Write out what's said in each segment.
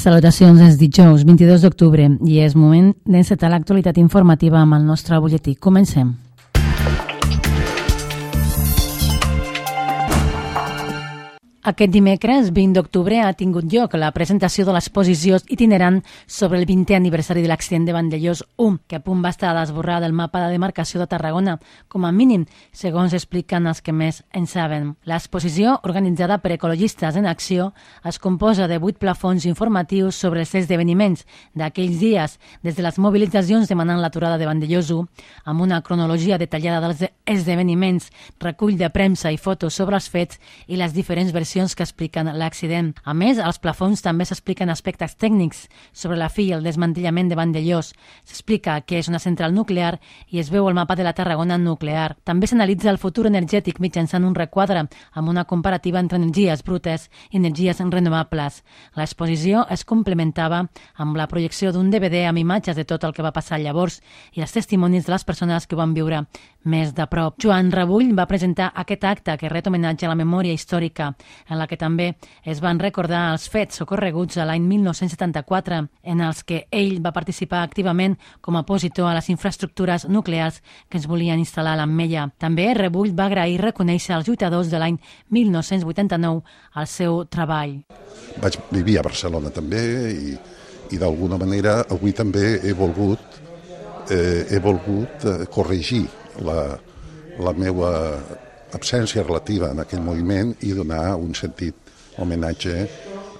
Salutacions, és dijous 22 d'octubre i és moment d'encetar l'actualitat informativa amb el nostre butlletí. Comencem. Aquest dimecres, 20 d'octubre, ha tingut lloc la presentació de l'exposició itinerant sobre el 20è aniversari de l'accident de Vandellòs 1, que a punt va estar d'esborrar del mapa de demarcació de Tarragona, com a mínim, segons expliquen els que més en saben. L'exposició, organitzada per Ecologistes en Acció, es composa de 8 plafons informatius sobre els esdeveniments d'aquells dies, des de les mobilitzacions demanant l'aturada de Vandellòs 1, amb una cronologia detallada dels esdeveniments, recull de premsa i fotos sobre els fets i les diferents versions que expliquen l'accident. A més, als plafons també s'expliquen aspectes tècnics sobre la fi i el desmantellament de Vandellòs. S'explica què és una central nuclear i es veu el mapa de la Tarragona nuclear. També s'analitza el futur energètic mitjançant un requadre amb una comparativa entre energies brutes i energies renovables. L'exposició es complementava amb la projecció d'un DVD amb imatges de tot el que va passar llavors i els testimonis de les persones que ho van viure més de prop. Joan Rebull va presentar aquest acte que ret homenatge a la memòria històrica, en la que també es van recordar els fets ocorreguts a l'any 1974, en els que ell va participar activament com a opositor a les infraestructures nuclears que es volien instal·lar a l'Ametlla. També Rebull va agrair i reconèixer als lluitadors de l'any 1989 el seu treball. Vaig vivir a Barcelona també i d'alguna manera avui també he volgut corregir la meva absència relativa en aquell moviment i donar un sentit homenatge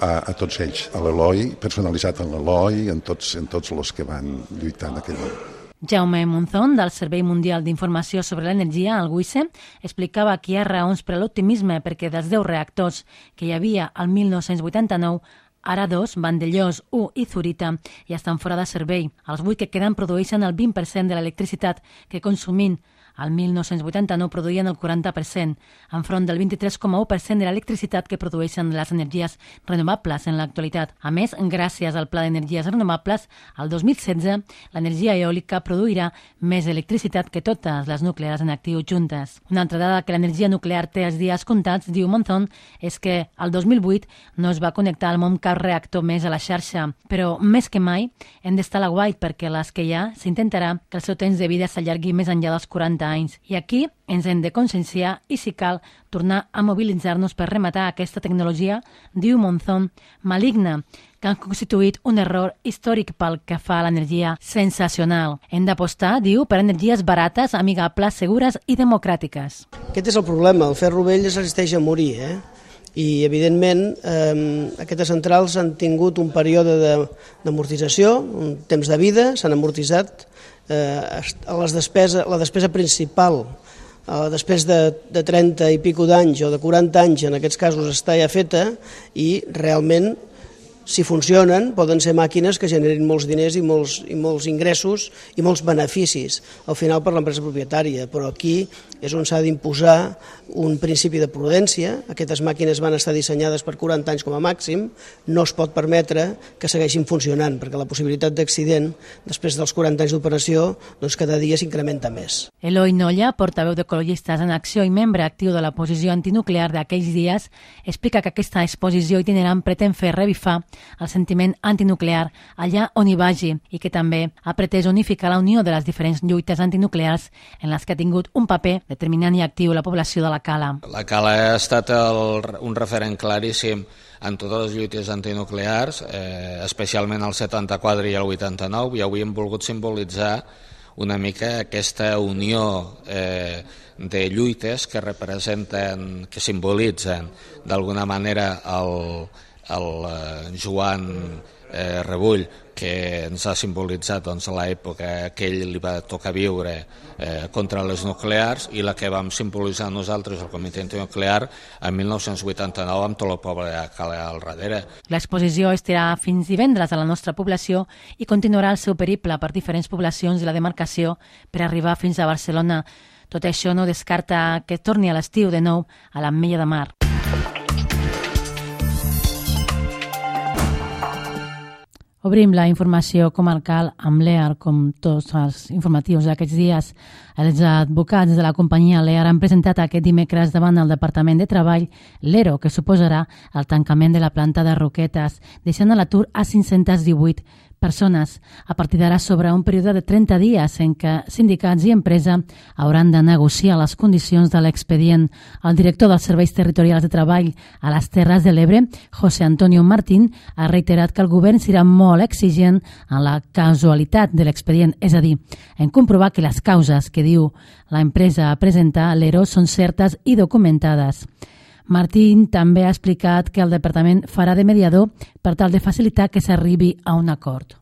a tots ells, a l'Eloi, personalitzat en l'Eloi, en tots els que van lluitar en aquell moment. Jaume Monzón, del Servei Mundial d'Informació sobre l'Energia, el WICE, explicava que hi ha raons per a l'optimisme perquè dels 10 reactors que hi havia al 1989, ara 2, Vandellòs, 1 i Zurita, ja estan fora de servei. Els 8 que queden produeixen el 20% de l'electricitat que consumint al 1989 produïen el 40%, enfront del 23,1% de l'electricitat que produeixen les energies renovables en l'actualitat. A més, gràcies al Pla d'Energies Renovables, al 2016 l'energia eòlica produirà més electricitat que totes les nuclears en actiu juntes. Una altra dada que l'energia nuclear té els dies comptats, diu Monzón, és que el 2008 no es va connectar al món cap reactor més a la xarxa, però més que mai hem d'estar a l'aguait perquè les que hi ha s'intentarà que el seu temps de vida s'allargui més enllà dels 40 anys. I aquí ens hem de conscienciar i, si cal, tornar a mobilitzar-nos per rematar aquesta tecnologia, diu Monzón, maligna, que han constituït un error històric pel que fa a l'energia sensacional. Hem d'apostar, diu, per energies barates, amigables, segures i democràtiques. Aquest és el problema, el ferro vell es resisteix a morir, I, evidentment, aquestes centrals han tingut un període d'amortització, un temps de vida, s'han amortitzat. La despesa principal, després de 30 i pico d'anys o de 40 anys, en aquests casos, està ja feta i realment, si funcionen, poden ser màquines que generin molts diners i molts ingressos i molts beneficis, al final per l'empresa propietària, però aquí és on s'ha d'imposar un principi de prudència. Aquestes màquines van estar dissenyades per 40 anys com a màxim, no es pot permetre que segueixin funcionant, perquè la possibilitat d'accident després dels 40 anys d'operació doncs cada dia s'incrementa més. Eloi Nolla, portaveu d'Ecologistes en Acció i membre actiu de la posició antinuclear d'aquells dies, explica que aquesta exposició itinerant pretén fer revifar el sentiment antinuclear allà on hi vagi i que també ha pretès unificar la unió de les diferents lluites antinuclears en les que ha tingut un paper determinant i actiu la població de la Cala. La Cala ha estat un referent claríssim en totes les lluites antinuclears, especialment el 74 i el 89, i avui hem volgut simbolitzar una mica aquesta unió de lluites que representen, que simbolitzen d'alguna manera el Joan Rebull, que ens ha simbolitzat l'època que ell li va tocar viure contra les nuclears i la que vam simbolitzar nosaltres, el Comitè Antinuclear, en 1989 amb tot el poble de Cala al darrere. L'exposició estarà fins divendres a la nostra població i continuarà el seu periple per diferents poblacions de la demarcació per arribar fins a Barcelona. Tot això no descarta que torni a l'estiu de nou a l'Ametlla de Mar. Obrim la informació comarcal amb l'EAR, com tots els informatius d'aquests dies. Els advocats de la companyia l'EAR han presentat aquest dimecres davant el Departament de Treball l'ERO, que suposarà el tancament de la planta de Roquetes, deixant a l'atur a 518 persones. A partir d'ara s'obre un període de 30 dies en què sindicats i empresa hauran de negociar les condicions de l'expedient. El director dels Serveis Territorials de Treball a les Terres de l'Ebre, José Antonio Martín, ha reiterat que el govern serà molt exigent en la casualitat de l'expedient, és a dir, en comprovar que les causes que diu l'empresa a presentar a l'ERO són certes i documentades. Martín també ha explicat que el departament farà de mediador per tal de facilitar que s'arribi a un acord.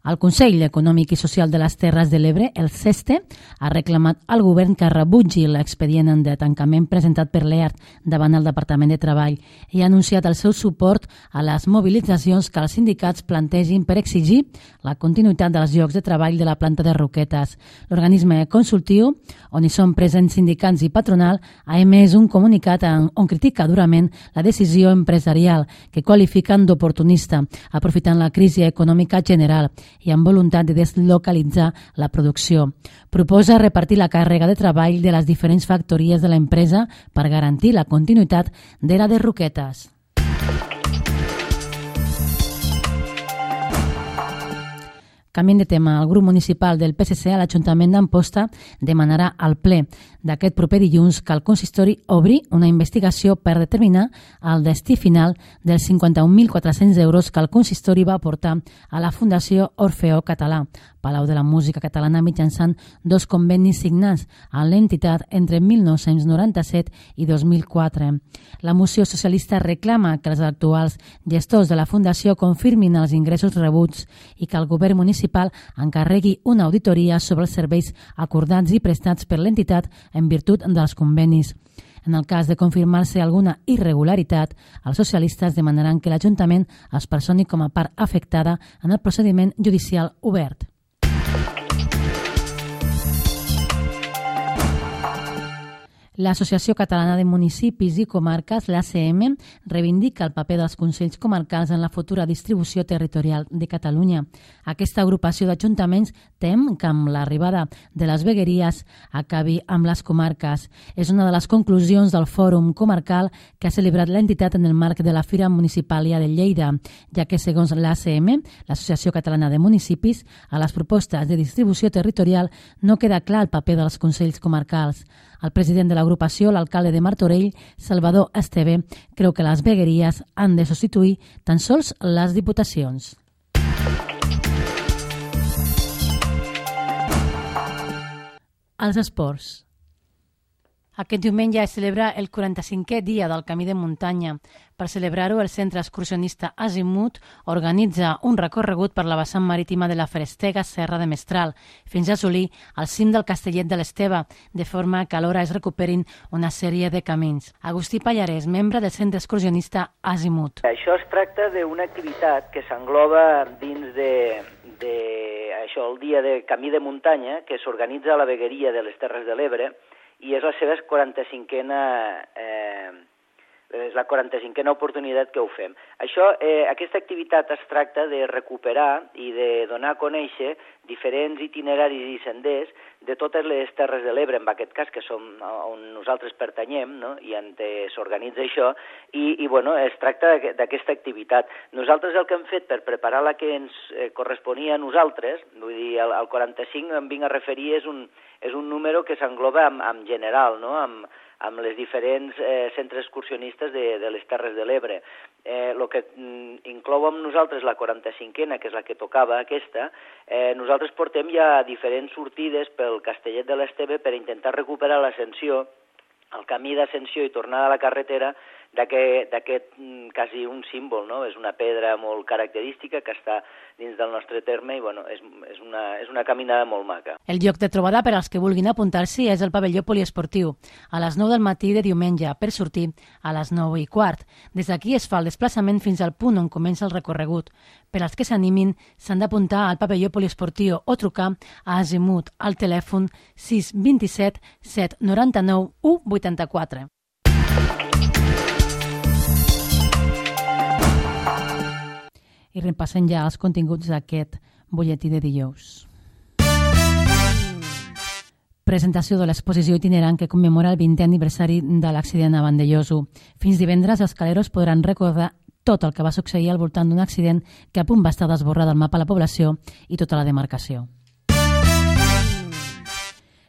El Consell Econòmic i Social de les Terres de l'Ebre, el CESTE, ha reclamat al govern que rebutgi l'expedient de tancament presentat per l'EAR davant el Departament de Treball i ha anunciat el seu suport a les mobilitzacions que els sindicats plantegin per exigir la continuïtat dels llocs de treball de la planta de Roquetes. L'organisme consultiu, on hi són presents sindicats i patronal, ha emès un comunicat on critica durament la decisió empresarial que qualifiquen d'oportunista, aprofitant la crisi econòmica general i amb voluntat de deslocalitzar la producció. Proposa repartir la càrrega de treball de les diferents factories de l'empresa per garantir la continuïtat de la de Roquetes. Canviant de tema, el grup municipal del PSC a l'Ajuntament d'Amposta demanarà al ple d'aquest proper dilluns que el consistori obri una investigació per determinar el destí final dels 51.400 euros que el consistori va aportar a la Fundació Orfeó Català, Palau de la Música Catalana, mitjançant 2 convenis signats a l'entitat entre 1997 i 2004. La moció socialista reclama que els actuals gestors de la Fundació confirmin els ingressos rebuts i que el govern municipal encarregui una auditoria sobre els serveis acordats i prestats per l'entitat en virtut dels convenis. En el cas de confirmar-se alguna irregularitat, els socialistes demanaran que l'Ajuntament es personi com a part afectada en el procediment judicial obert. L'Associació Catalana de Municipis i Comarques, l'ACM, reivindica el paper dels Consells Comarcals en la futura distribució territorial de Catalunya. Aquesta agrupació d'ajuntaments tem que amb l'arribada de les vegueries acabi amb les comarques. És una de les conclusions del Fòrum Comarcal que ha celebrat l'entitat en el marc de la Fira Municipàlia de Lleida, ja que, segons l'ACM, l'Associació Catalana de Municipis, a les propostes de distribució territorial no queda clar el paper dels Consells Comarcals. El president de l'agrupació, l'alcalde de Martorell, Salvador Esteve, creu que les vegueries han de substituir tan sols les diputacions. Els esports. Aquest diumenge es celebra el 45è dia del Camí de Muntanya. Per celebrar-ho, el centre excursionista Azimut organitza un recorregut per la vessant marítima de la Ferestega Serra de Mestral, fins a assolir el cim del Castellet de l'Esteve, de forma que alhora es recuperin una sèrie de camins. Agustí Pallarès, membre del centre excursionista Azimut. Això es tracta d'una activitat que s'engloba dins això, el dia de Camí de Muntanya, que s'organitza a la vegueria de les Terres de l'Ebre, i és la seva 45a oportunitat que ho fem. Aquesta activitat es tracta de recuperar i de donar a conèixer diferents itineraris i senders de totes les Terres de l'Ebre, en aquest cas, que som on nosaltres pertanyem, no? I on s'organitza això, i bueno, es tracta d'aquesta activitat. Nosaltres el que hem fet per preparar la que ens corresponia a nosaltres, vull dir, el 45 em vinc a referir, és un número que s'engloba en general, no? amb les diferents centres excursionistes de les Terres de l'Ebre. El que inclou amb nosaltres la 45a, que és la que tocava aquesta, nosaltres portem ja diferents sortides pel Castellet de l'Esteve per intentar recuperar l'ascensió, el camí d'ascensió i tornada a la carretera d'aquest quasi un símbol, no? És una pedra molt característica que està dins del nostre terme i bueno, és una caminada molt maca. El lloc de trobada per als que vulguin apuntar-s'hi és el pavelló poliesportiu, a les 9 del matí de diumenge, per sortir a les 9:15. Des d'aquí es fa el desplaçament fins al punt on comença el recorregut. Per als que s'animin, s'han d'apuntar al pavelló poliesportiu o trucar a Azimut al telèfon 627 799 184. I repassem ja els continguts d'aquest butlletí de dijous. Presentació de l'exposició itinerant que commemora el 20è aniversari de l'accident a Vandellòs 1. Fins divendres, els caleros podran recordar tot el que va succeir al voltant d'un accident que a punt va estar d'esborrar del mapa la població i tota la demarcació.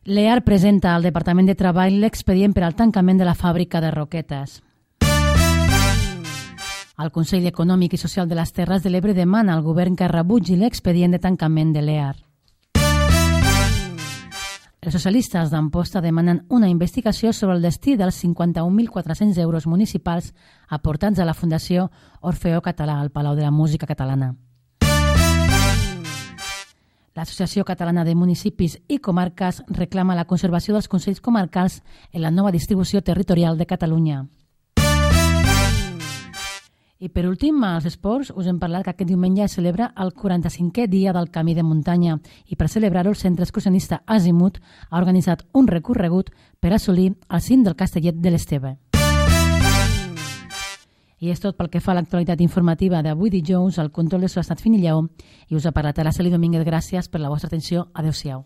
L'EAR presenta al Departament de Treball l'expedient per al tancament de la fàbrica de Roquetes. El Consell Econòmic i Social de les Terres de l'Ebre demana al govern que rebutgi l'expedient de tancament de l'EAR. Els socialistes d'Amposta demanen una investigació sobre el destí dels 51.400 euros municipals aportats a la Fundació Orfeó Català al Palau de la Música Catalana. L'Associació Catalana de Municipis i Comarques reclama la conservació dels Consells Comarcals en la nova distribució territorial de Catalunya. I per últim, als esports, us hem parlat que aquest diumenge es celebra el 45è dia del Camí de Muntanya i per celebrar-ho el Centre Excursionista Azimut ha organitzat un recorregut per assolir el cim del Castellet de l'Esteve. I és tot pel que fa a l'actualitat informativa d'avui dijous. Al control de so ha estat Fini Lleó i us ha parlat Araceli Domínguez. Gràcies per la vostra atenció. Adéu-siau.